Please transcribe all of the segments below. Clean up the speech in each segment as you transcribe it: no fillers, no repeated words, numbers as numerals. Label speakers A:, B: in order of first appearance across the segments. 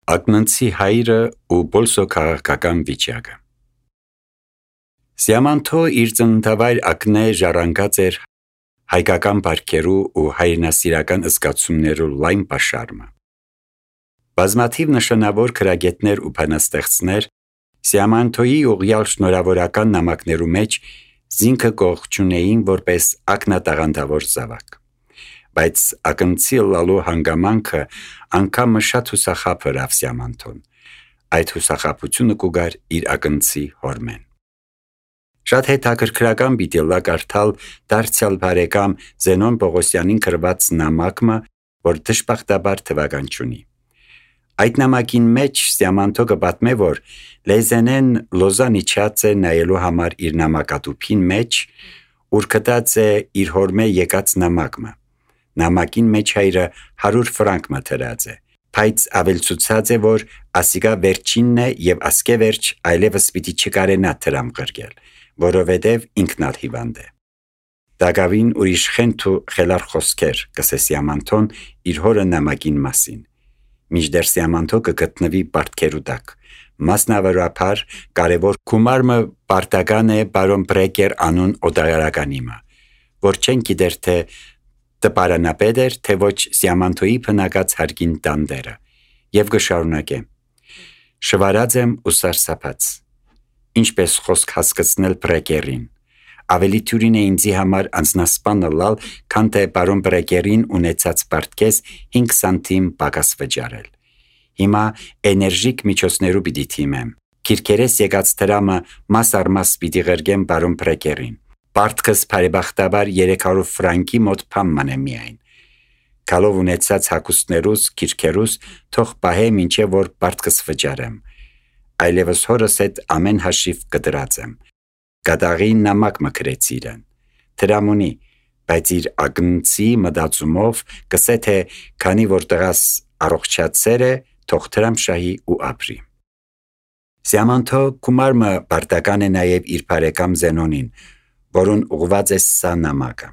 A: Ակնանցի հայրը ու Բոլսո քաղաքական վիճակը։ Սիամանթո իր ծննդավայր ակնե ժառանգած էր հայկական բարքերու ու հայրենասիրական զգացումներու լայն պաշարմը։ Բազմաթիվ նշանավոր քրագետներ ու բանաստեղծներ Սիամանթոյի ուղյալ շնորհավորական նամակներու մեջ զինքը կողջունեին որպես ակնատաղանդավոր զավակ։ Բայց ակնցի լալու հանգամանքը անգամը շատ հուսախապ էր Սիամանթոն։ Այդ հուսախապությունը կուգար իր ակնցի հորմեն։ Շատ հետաքրքրական պիտի լա կարդալ դարձյալ բարեկամ Զենոն Պողոսյանին գրված նամակը, որ դժբախտաբար թվական չունի։ Այդ նամակին մեջ Սիամանթո կպատմե, որ Լեզենեն Լոզան իջած է նայելու համար իր նամակատուփին մեջ, ուր գտած է իր հորմե եկած նամակը։ Նամակին մեջ հայրը 100 ֆրանկ մտրած է, բայց ավելցուցած է, որ ասիկա վերջինն է եւ ասկե վերջ այլևս պիտի չկարենա դրամ գրգել, որովհետեւ ինքն ալ հիվանդ է։ Դագավին ուրիշ խենթ ու խելար խոսքեր կսե Սիամանթոն իր հորը նամակին մասին։ Մինչդեռ Սիամանթո կգտնվի բարդքերու տակ։ Մասնավորապես կարևոր գումարը պարտական է բարոն Բրեկեր անուն օդայարականիմը, որ չեն գիտեր թե տպարանապետ էր, թե ոչ Սիամանթոյի բնակած հարկին տանդերը, եւ կշարունակե. շվարած եմ ու սարսափած, ինչպես խոսք հասկացնել Բրեկերին, ավելի թյուրին է ինձի համար անձնասպանը լալ, քան թե բարոն Բրեկերին ունեցած պարտքես 5 սանտիմ պակաս վճարել։ Հիմա էներժիկ միջոցներու պիտի թիմեմ, քիրքերես եկած դրամը մաս առ մաս պիտի ղրգեմ բարոն Բրեկերին, պարտքս բարեբախտաբար 300 ֆրանկի մոտ փամման է միայն։ Կալով ունեցած հակուստներուս, քիրքերուս, թող պահե մինչև որ պարտքս վճարեմ, այլևս հորս հետ ամեն հաշիվ կդրած եմ։ Գադաղի նամակ մկրեց իրեն, դրամունի, բայց իր ակնցի մտածումով կսե թե քանի որ տղաս առողջացեր է, թող դրամ շահի ու ապրի։ Սիամանթո գումարը պարտական է նաև իր բարեկամ Զենոնին, որուն ուղված է սա նամակը։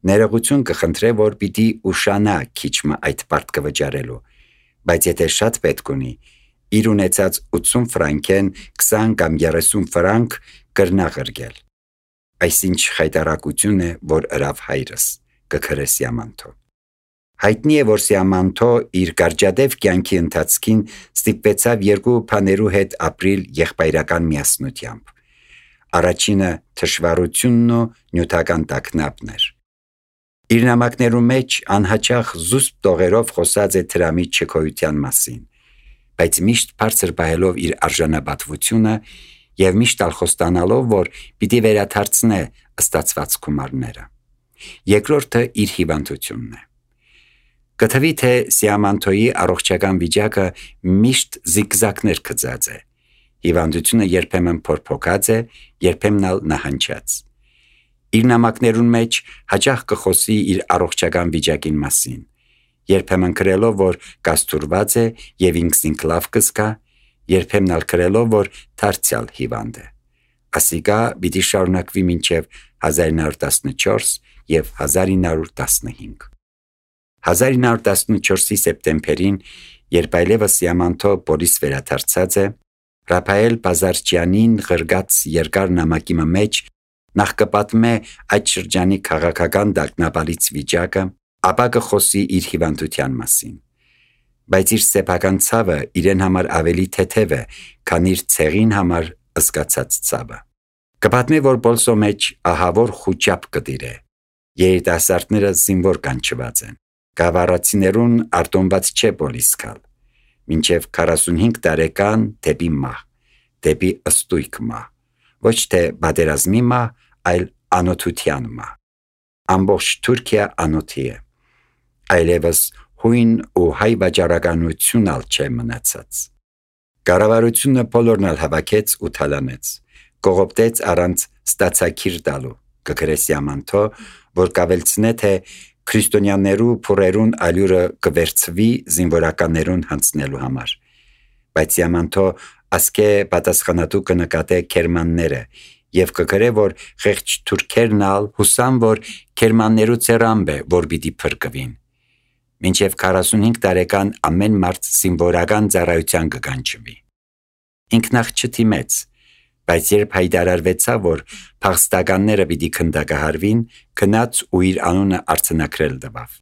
A: Ներողություն կխնդրե, որ պիտի ուշանա քիչմը այդ պարտքը վճարելու, բայց եթե շատ պետք ունի, իր ունեցած 80 ֆրանկեն 20 կամ 30 ֆրանկ կրնա ղրգել։ Այսինչ խայտարակություն է, որ ըրավ հայրս, կգրե Սիամանթո։ Հայտնի է, որ Սիամանթո իր կարճադև կյանքի ընթացքին ստիպվեցավ երկու բաներու հետ ապրիլ եղբայրական միասնությամբ։ Առաջինը թշվառությունն ու նյութական տագնապն էր։ Իր նամակներու մեջ անհաճախ զուսպ տողերով խոսած է դրամի չքոյության մասին, բայց միշտ բարձր պահելով իր արժանապատվությունը եւ միշտ խոստանալով, որ պիտի վերադարձնե ստացված գումարները։ Երկրորդը իր հիվանդությունն է։ Կթվի թե Սիամանթոյի առողջական վիճակը միշտ զիգզակներ գծած է։ Հիվանդությունը երբեմն փոփոխած է, երբեմն ալ նահանջած։ Իր նամակներուն մեջ հաճախ կխոսի իր առողջական վիճակին մասին, երբեմն գրելով, որ կաստուրված է եւ ինքսին լավ կզգա, երբեմն ալ գրելով, որ դարձյալ հիվանդ է։ Ասիկա պիտի շարունակվի մինչև 1914 եւ 1915։ 1914-ի սեպտեմբերին, երբ այլևս Սիամանթո Պորիս վերադարձած է, Ռափայել Բազարչյանին ղրգած երկար նամակի մեջ նախ կպատմե այդ շրջանի քաղաքական դակնապալից վիճակը, ապա կխոսի իր հիվանդության մասին։ Բայց իր սեփական ցավը իրեն համար ավելի թեթև է, քան իր ցեղին համար զգացած ցավը։ Կպատմի, որ Բոլսո մեջ ահավոր խուճապ կդիր է։ Երիտասարդները զինվոր կանչված են։ Գավառացիներուն արտոնված չէ Պոլիս գալ։ Մինչև 45 տարեկան դեպի մահ, դեպի ըստույք մահ, ոչ թե բادرազմի մահ, այլ անոթության մահ։ Ամբողջ Թուրքիա անոթի է։ Այլևս հույն ու հայ վաճառականություն ալ չէ մնացած։ Կառավարությունը բոլորն ալ հավաքեց ու թալանեց, կողոպտեց առանց ստացակիր տալու, կգրե Սիամանթո, որ կավելցնե թե քրիստոնյաներու փուրերուն ալյուրը կվերցվի զինվորականներուն հանցնելու համար։ Բայց Սիամանթո ասկե պատասխանատու կնկատե քերմանները եւ կգրե, որ խեղճ թուրքերն ալ հուսան, որ քերմաններու ցերամբ է, որ պիտի փրկվին։ մինչև 45 տարեկան ամեն մարդ զինվորական ծառայության կկանչվի։ Ինքն նախ չդիմեց, բայց երբ հայտարարվեցավ, որ փախստականները պիտի քնդակահարվին, գնաց ու իր անունը արձանագրել տվավ։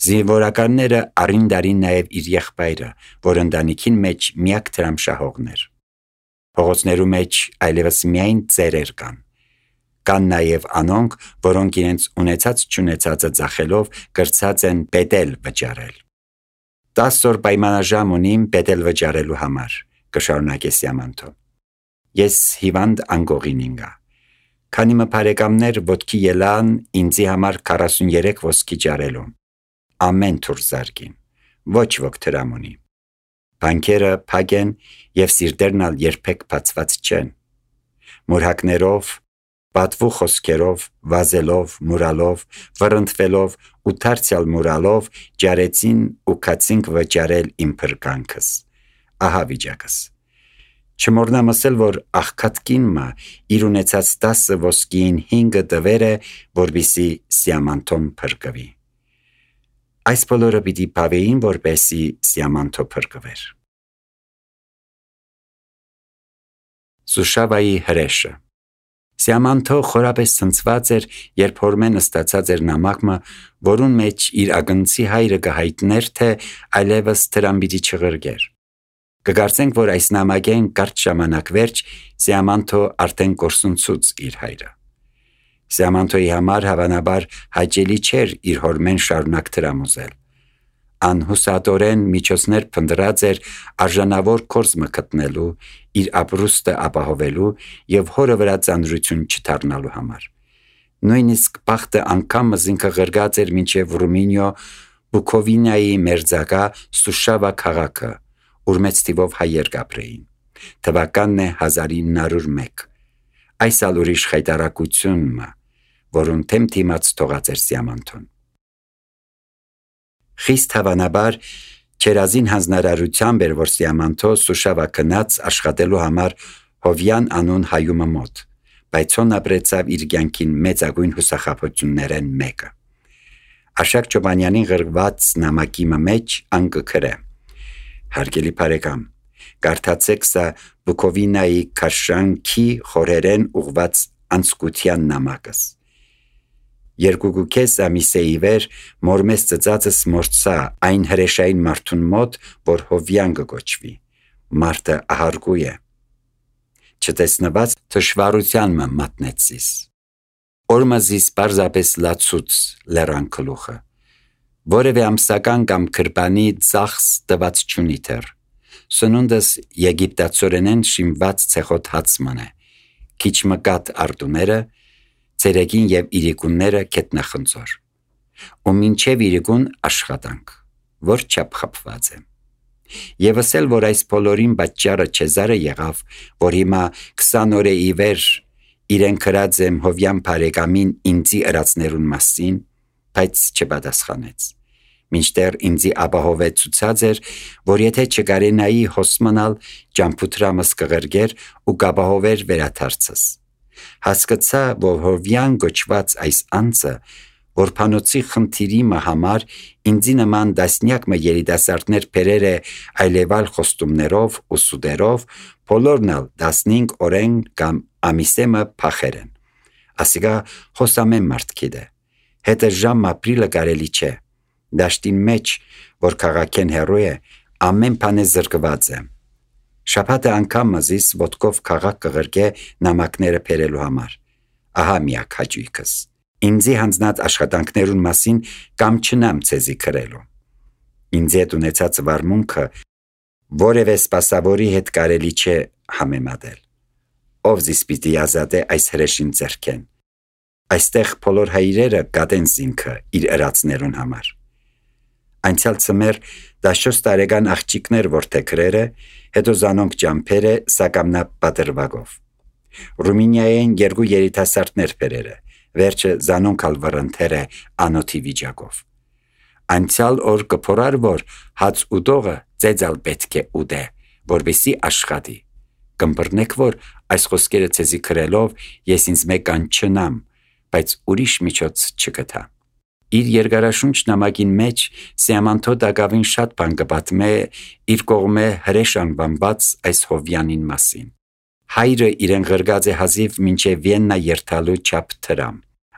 A: Զինվորականները առին դարին նաև իր եղբայրը, որ ընտանիքին մեջ միակ դրամշահողն էր։ Փողոցներու մեջ այլևս միայն ծերեր կան։ Կան նաև անոնք, որոնք իրենց ունեցած-չունեցածը ծախելով կրծած են պետել վճարել։ 10 օր պայմանաժամ ունիմ պետել վճարելու համար, կշարունակե Սիամանթո։ Ես հիվանդ անգողին ինգա։ Քանի մփարեկամներ ոտքի ելան ինձի համար 43 ոսկի ջարելու։ Ամեն թուր զարգին, ոչ ոք դրամ ունի։ Բանկերը փակ են և սիրտերն ալ երբեք բացված չեն։ Մուրհակներով, պատվու խոսքերով, վազելով, մուրալով, վռնդվելով ու դարձյալ մուրալով ջարեցին ու կացինք վճարել իմ փրկանքս։ Ահա վիճակս։ Չմոռնամ ասել, որ աղքատկինը իր ունեցած 10 ոսկիին 5 տվեր է, որպեսզի Սիամանթոն փրկվի։ Այս բոլորը պիտի բավեին, որպեսզի Սիամանթո փրկվեր։ Սուշավայի հրեշը։ Սիամանթո խորապես ցնցված էր, երբ հորմեն ստացած էր նամակը, որուն մեջ իր ագնցի հայրը կհայտներ, թե այլևս դրան պիտի չղրգեր։ Կկարծենք, որ այս նամակեն կարճ ժամանակ վերջ Սիամանթո արդեն կորսնցուց իր հայրը։ Սիամանթոյի համար հավանաբար հաճելի չէր իր հորմեն շարունակ դրամուզել։ Անհուսատորեն միջոցներ փնտրած էր արժանավոր կորզը գտնելու, իր ապրուստը ապահովելու և հորը վրա ծանրություն չդառնալու համար։ Նույնիսկ բախտը անգամ ինքը ղրգած էր մինչև Ռումինիո Բուկովինայի մերձակա Սուշավա քաղաքը, ուր մեծ թիվով հայեր կապրեին։ Թվականն է 1901։ Այս ալ ուրիշ խայտարակությունն, որուն թեմ թիմած թողած էր Սիամանթոն։ Խիստ հավանաբար չերազին հանձնարարությամբ էր, որ Սիամանթո Սուշավա գնաց աշխատելու համար Հովյան անուն հայումը մոտ, բայց հոն ապրեցավ իր կյանքին մեծագույն հուսախաբություններեն մեկը։ Աշակ Չոբանյանին գրված նամակի մեջ անկը հարգելի բարեկամ, կարդացեք սա Բուկովինայի քաշանքի խորերեն ուղված անցկության նամակս։ 2.5 ամիսեի վեր մորմես ծծածս մորցա այն հրեշային մարդուն մոտ, որ Հովյան կոչվի։ Մարդը ահարգու է։ Չտեսնված թշվառության մատնեցիս։ Օրմազիս պարզապես լացուց լեռան գլուխը։ Որևէ ամսական կամ քրբանի ծախս տված չունի թեր։ Սնունդս եգիպտացորենեն շիմված ցեխոտ հացման է։ Քիչ մկատ արտուները, ցերեկին և իրիկունները կետնախնձոր։ Ու մինչև իրիկուն աշխատանք, որ չափ խփված է։ Եվս էլ, որ այս բոլորին պատճառը Չեզարը եղավ, որ հիմա 20 օր է ի վեր իրեն գրած եմ Հովյան բարեկամին ինձի ըրացներուն մասին, բայց չպատասխանեց։ Մինչդեռ ինձի ապահովեց ցուցած էր, որ եթե չկարենայի հոսմանալ, ճամփութրամս կղրգեր ու կապահովեր վերաթարցս։ Հասկացա, որ Հովյան գոչված այս անձը, որ փանոցի խնդիրի համար ինձի նման դասնյակ երիտասարդներ բերեր է այլևալ խոստումներով ու սուդերով, բոլորն ալ 15 օրեն կամ ամիսեմը փախեր են։ Ասիկա հոսամեն մարդ գիտե։ Հետը ժամ ապրիլը կարելի չէ։ Դաշտին մեջ, որ քաղաքեն հեռու է, ամեն բան է զրկված է։ Շաբաթը անգամ մզիս ոտքով քաղաք կղրգե նամակները բերելու համար։ Ահա միակ հաճույքս։ Ինձի հանձնած աշխատանքներուն մասին կամ չնամ ցեզի գրելու։ Ինձ հետ ունեցած վարմունքը որևէ սպասավորի հետ կարելի չէ համեմատել։ Ով զիս պիտի ազատե այս հրեշին ձեռքեն։ Այստեղ բոլոր հայրերը գատեն զինքը իր ըրացներուն համար։ Անցյալ ծմեր 14 տարեկան աղջիկներ որդեքրերը, հետո զանոնք ճամփերը սակամնա պատրվագով։ Ռումինիայեն 2 երիտասարդներ բերերը, վերջը զանոնք ալ վռնդերը անոթի վիճակով։ Անցյալ օր կփորար, որ հաց ուտողը ծեծալ պետք է ուտե, որպեսի աշխատի։ Կմբռնեք, որ այս խոսքերը ցեզի գրելով ես ինձ մեկան չնամ, բայց ուրիշ միջոց չգտա։ Իր երկարաշունչ նամակին մեջ Սիամանթո դակավին շատ բան կպատմե իր կողմէ հրեշ անվանված այս Հովյանին մասին։ Հայրը իրեն ղրգած է հազիվ մինչև Վիեննա երթալու չափ թրամ։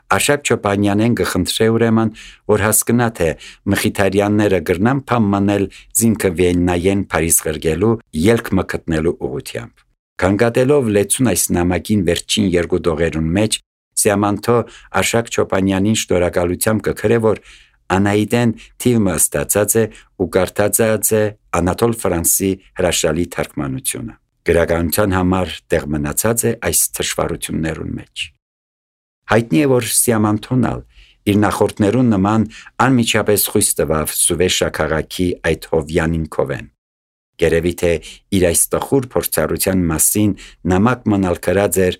A: Արշակ Չոպանյանեն կխնդրե ուրեմն, որ հասկնա, թե մխիթարյանները գրնան փամ մնել զինքը Վիեննայեն Փարիզ ղրգելու ելք մկտնելու ուղությամբ։ Կանգատելով լեցուն այս նամակին վերջին երկու դողերուն մեջ, Սիամանթո Արշակ Չոպանյանին շնորհակալությամբ կգրե, որ Անահիտեն թիվը ստացած է ու կարդացած է Անատոլ Ֆրանսի հրաշալի թարգմանությունը։ Գրականության համար տեղ մնացած է այս թշվառություններուն մեջ։ Հայտնի է, որ Սիամանթոն իր նախորդներուն նման անմիջապես խույս տվավ Սուվեշա քաղաքի այդ Հովյանին Քովեն։ Գերևի թե իր այս տխուր փորձառության մասին նամակ մնալ գրած էր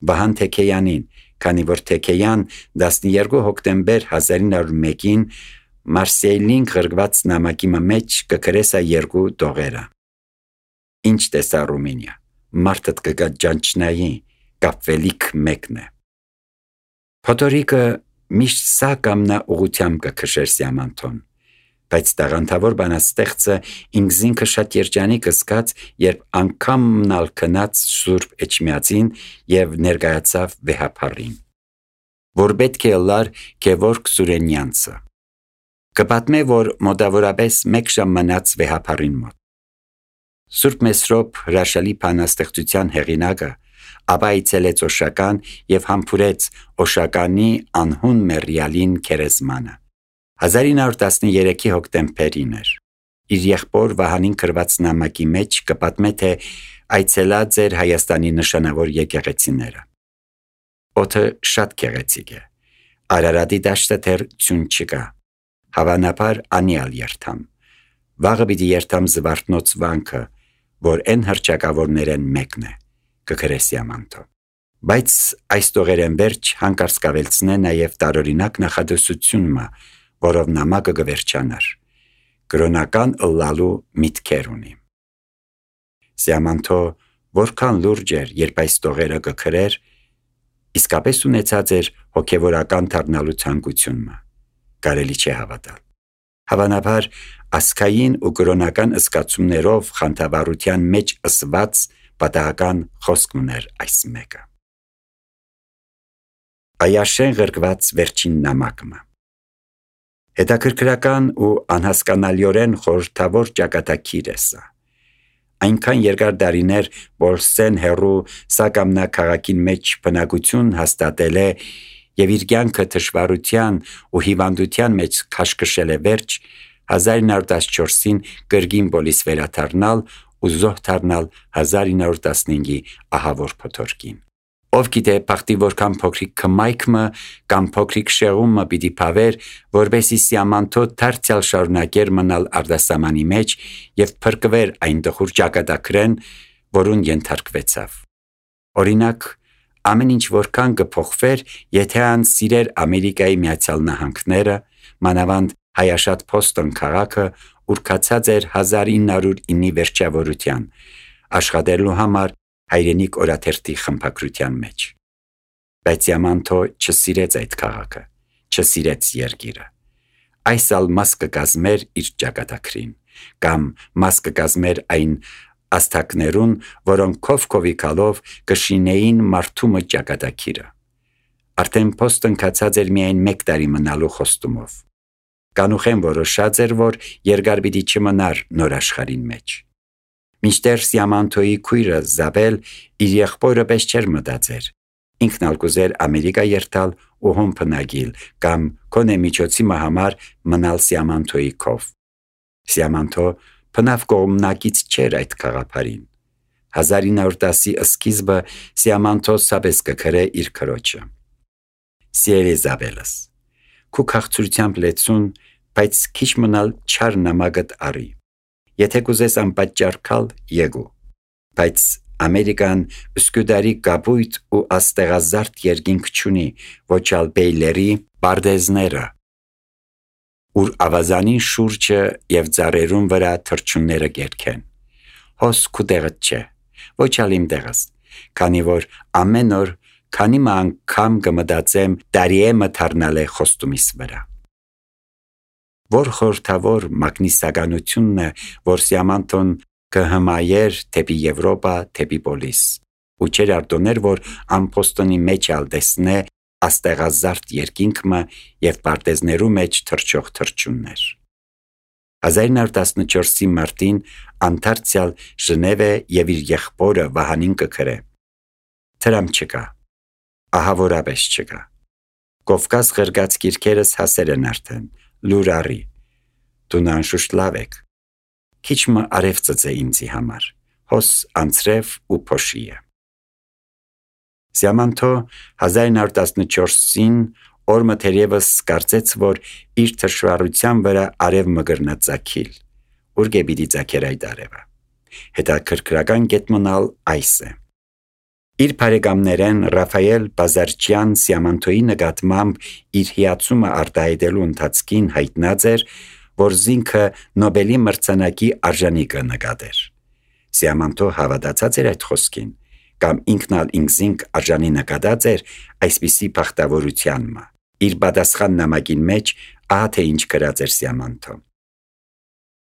A: Վահան Թեքեյանին, քանի որ Թեքեյան 12 հոկտեմբեր 1901-ին Մարսեյլին ղրգված նամակի մեջ կգրեսա երկու դողերը։ Ինչ տեսա Ռումինիա, մարդդ կգա ջանչնայի, կապվելիք մեկն է։ Փոթորիկը միշտ սա կամնա ուղությամբ կքշեր Սիամանթոն, բայց տաղանդավոր բանաստեղծը ինքզինքը շատ երջանիկ զգաց, երբ անգամ մնալ քնած Սուրբ Էջմիածին եւ ներկայացավ վեհապարին, որ պետք է լար Գևորգ Սուրենյանցը։ Կպատմե, որ մոտավորապես մեկ ժամ մնաց վեհապարին մոտ։ Սուրբ Մեսրոպ հրաշալի բանաստեղծության հեղինակը ապա այցելեց Օշական եւ համբուրեց Օշականի անհուն մեռյալին քերեզմանը։ 1913-ի հոկտեմբերին էր։ Իր եղբոր Վահանին գրված նամակի մեջ կպատմե, թե այցելած էր Հայաստանի նշանավոր եկեղեցիները։ Օդը շատ գեղեցիկ է։ Արարատի դաշտը դեռ ցուն չկա։ Հավանաբար անիալ երթամ։ Վաղը պիտի երթամ Զվարթնոց վանքը, որ են հրճակավորներեն մեկն է, կգրե Սիամանթո։ Բայց այս տողերեն վերջ հանկարծ կավելցնե նաև տարօրինակ նախադասությունը, որով նամակը կվերջանար։ Կրոնական ըլլալու միտքեր ունի։ Սիամանթո որքան լուրջ էր, երբ այս տողերը կգրեր, իսկապես ունեցած էր հոգևորական դառնալու ցանկությունը։ Կարելի չէ հավատալ։ Հավանաբար ասկային ու կրոնական զգացումներով խանդավառության մեջ ըսված պատահական խոսք ուներ այս մեկը։ Այաշեն ղրգված վերջին նամակը։ Հետաքրքրական ու անհասկանալիորեն խորհրդավոր ճակատագիր է սա։ Այնքան երկար դարիներ Բոլսեն հերու Սակամնա քաղաքին մեջ բնակություն հաստատել է եւ իր կյանքը թշվառության ու հիվանդության մեջ քաշքշել է վերջ 1914-ին կրգին բոլիս վերադառնալ ու զոհ դառնալ 1915-ի ահավոր փոթորկին։ Ով գիտե բախտի որքան փոքրիկ կմայքմը կամ փոքրիկ շեղումը պիտի փավեր, որբեսի Սիամանթո դարձյալ շարունակեր մնալ արտասահմանի մեջ եւ փրկվեր այն տխուր ճակատագրեն, որուն ենթարկվեցավ։ Օրինակ, ամեն ինչ որքան կփոխվեր, եթե ան սիրեր Ամերիկայի Միացյալ Նահանգները, մանավանդ հայաշատ Փոստոն քաղաքը, ուր կացած էր 1909-ի վերջավորության, աշխատելու համար հայրենիք օրաթերթի խմբագրության մեջ։ Բայց Սիամանթո չսիրեց այդ քաղաքը, չսիրեց երկիրը։ Այս ալ մաս կկազմեր իր ճակատագրին, կամ մաս կկազմեր այն աստակներուն, որոնք քով-քովիկալով կշինեին մարդումը ճակատագիրը։ Արդեն Փոստոն կացած էր միայն 1 տարի մնալու խոստումով։ Կանուխեն որոշած էր, որ երկար պիտի չմնար նոր աշխարհին մեջ։ Մինչդեռ Սիամանթոյի քույրը Զաբել իր եղբորը պես չէր մտածեր։ Ինքն ալ կուզեր Ամերիկա երթալ ու հոն փնագիլ կամ կոնե միջոցի համար մնալ Սիամանթոյի քով։ Սիամանթո փնավ կողմնակից չէր այդ քաղաքարին։ 1910-ի սկիզբը Սիամանթո սաբես կգրե իր քրոջը։ Սիրելի Զաբելս, քու քաղցրությամբ լեցուն, բայց քիչ մնալ չար նամակդ արի։ Եթե կուզես անպատճառ քալ, եկու։ Բայց Ամերիկան սկուդարի կապույտ ու աստեղազարդ երկինք չունի, ոչ ալ բեյլերի բարդեզները, ուր ավազանի շուրջը եւ ծառերուն վրա թրջունները գերքեն։ Հոս քու տեղդ չէ, ոչ ալ իմ տեղս, քանի որ ամեն օր քանի անգամ կմտածեմ տարի է մթարնալ է խոստումիս վրա։ որ խորհրդավոր մագնիսականությունն է, որ Սիամանթոն կհմայեր թեպի Եվրոպա, թեպի Պոլիս, ու չեր արտոներ, որ ամփոստոնի մեջ ալ դեսնե աստեղազարդ երկինքը եւ պարտեզներու մեջ թրջող թրջուններ։ 1914-ի մարտին Անտարցիալ Ժնևը եւ իր եղբորը Վահանին կգրե. «Թրամ չկա, ահավորապես չկա։ Կովկաս ղրգած գիրքերս հասեր են արդեն, լուր առի, դու անշուշտ լավ եք, քիչ մը արև ծծե ինձի համար, հոս անցրև ու փոշիը»։ Սիամանթո 1914-ին օրը թերևս կարծեց, որ իր թշվառության վրա արև մգրնա ծագիլ, ուր գեբիդի ծագեր այդ արևը։ Հետաքրքրական գետմոնալ այս է. իր բարեկամներեն Ռաֆայել Բազարչյան Սիամանթոյի նկատմամբ իր հիացումը արտահայտելու ընթացքին հայտնած էր, որ զինքը Նոբելի մրցանակի արժանի կնկատեր։ Սիամանթո հավատացած էր այդ խոսքին, կամ ինքնալ ինքզինք արժանի նկատած էր այսպիսի բախտավորությանմը։ Իր պատասխան նամակին մեջ ահա թե ինչ գրած էր Սիամանթո.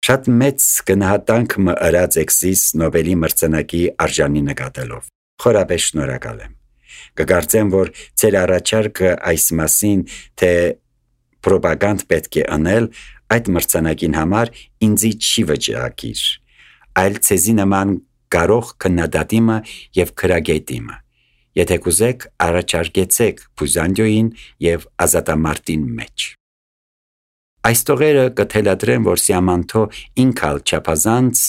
A: «Շատ մեծ գնահատանք մը ըրած եք Նոբելի մրցանակի արժանի նկատելով, խորապես շնորհակալ եմ։ Կկարծեմ, որ ձեր առաջարկը այս մասին, թե պրոպագանդ պետք է անել այդ մրցանակին համար ինձի չի վճռակիր, այլ ցեզի նման կարող քննադատիմը եւ քրագետիմը։ Եթե կուզեք, առաջարկեցեք Բուզանդիոյին եւ ազատամարտին մեջ»։ Այս տողերը կթելադրեն, որ Սիամանթո ինքալ չափազանց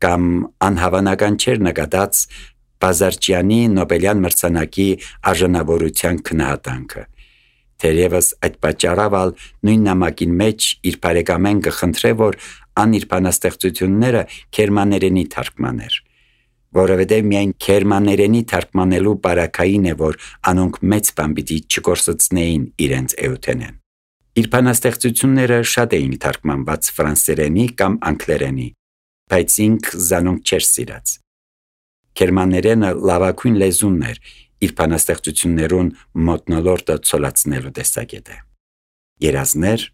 A: կամ անհավանական չէր նկատած Բազարչյանի Նոբելյան մրցանակի արժանավորության քննադատանքը։ Թերևս այդ պատճառով նույն նամակին մեջ իր բարեկամեն կխնդրե, որ ան իր բանաստեղծությունները քերմաներենի թարգմաներ, որովհետև միայն քերմաներենի թարգմանելու բարակային է, որ անոնք մեծ բան պիտի չկորսեցնեին իրենց էութենեն։ Իր բանաստեղծությունները շատ էին թարգմանված ֆրանսերենի կամ անգլերենի, բայց ինք զանոնք չէր սիրած։ Քերմաներենը լավագույն լեզուն էր իր բանաստեղծություններուն մոտնոլորտը ցոլացնելու տեսակետը։ Երազներ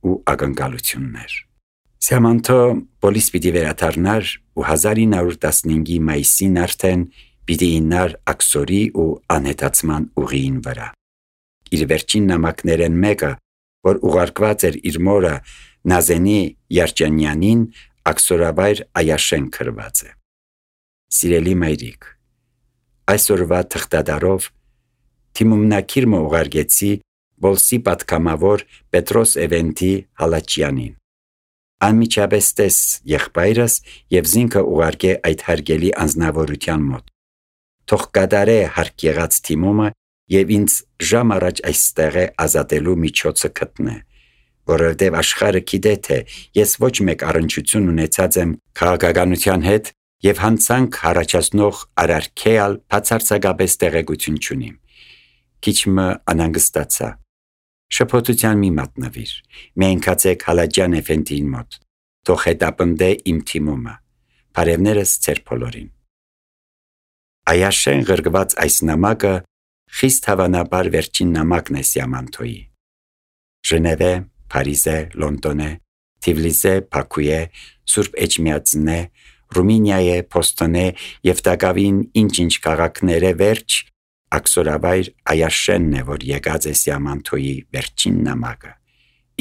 A: ու ակնկալություններ։ Սիամանթո Պոլիս պիտի վերադառնար ու 1915-ի մայիսին արդեն պիտի իննար աքսորի ու անհետացման ուղիին վրա։ Իր վերջին նամակներեն մեկը, որ ուղարկված էր իր մորը Նազենի Երջանյանին, աքսորավայր Այաշեն գրված է. «Սիրելի մայրիկ, այսօրվա թղթադարով թիմումնակիր մը ուղարկեցի Բոլսի պատգամավոր Պետրոս Էվենտի Հալաչյանին։ Անմիջապես տես եղբայրս եւ զինքը ուղարկե այդ հարգելի անձնավորության մոտ։ Թող կատարե հարկ եղած թիմումը եւ ինձ ժամ առաջ այստեղ է ազատելու միջոցը գտնե, որովհետեւ աշխարհը գիտե թե ես ոչ մեկ առնչություն ունեցած եմ քաղաքականության հետ եւ հանցանք առաջացնող արարքեալ բացարձակապես տեղեկություն չունիմ։ Քիչ մը անհանգստացա։ Շփոթության մի մատնվիր, միայն կացեք Հալաջյան Էֆենդիին մոտ, թող հետապնդե իմ թիմումը, բարևներս ձեր բոլորին»։ Այաշեն գրգված այս նամակը խիստ հավանաբար վերջին նամակն է Սիամանթոյի։ Ժնևե, Փարիզե, Լոնդոնե, Թիֆլիսե, Բաքուե, Սուրբ Էջմիածնե, Ռումինիայե, Փոստոնե եւ Տակավին ինչ-ինչ քաղաքները վերջ աքսորավայր Այաշենն է, որ եկած է Սիամանթոյի վերջին նամակը,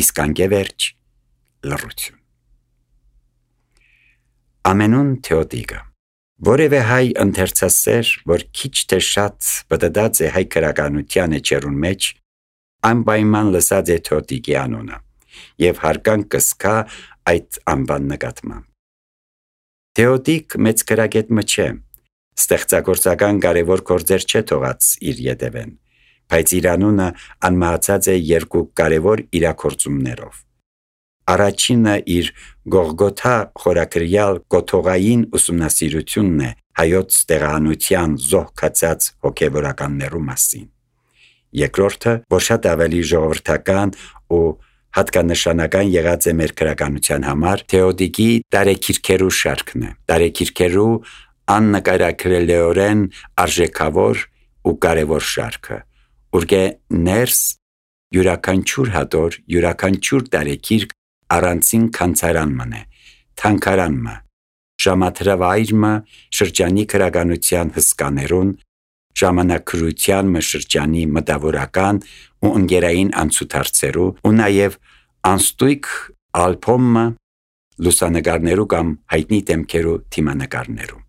A: իսկ անգևերջ լռություն։ Ամենուն Թեոդիկը որևէ հայ ընթերցասեր, որ քիչ թե շատ բդդած է հայ քրականության էջերուն մեջ, անպայման լսած է Թեոդիկի անունը եւ հարգանք կսկա այդ անվան նկատմամբ։ Թեոդիկ մեծ քրագետ մը չէ, ստեղծագործական կարևոր գործեր չէ թողած իր ետևեն, բայց իր անունը անմահացած է երկու կարևոր իրագործումներով։ Առաջինը իր Գողգոթա խորագրյալ կոթողային ուսումնասիրությունն է հայոց տեղահանության զոհ կացած հոգևորականներու մասին։ Երկրորդը, որ շատ ավելի ժողովրդական ու հատկանշանական եղած է մեր քրականության համար, Թեոդիկի տարեքիրքերու շարքն է։ Տարեքիրքերու աննկարագրելիորեն արժեքավոր ու կարևոր շարքը, ուրգե ներս յուրաքանչյուր հատոր, յուրաքանչյուր տարեքիրք առանցին քանցարան մը, թանկարան մը, ժամադրավայր մը շրջանի քրագանության հսկաներուն, ժամանակրության մը շրջանի մտավորական ու ընկերային անցուդարձերու ու նաև անստույկ ալբոմ մը լուսանկարներու կամ հայտնի դեմքերու թիմանկարներու։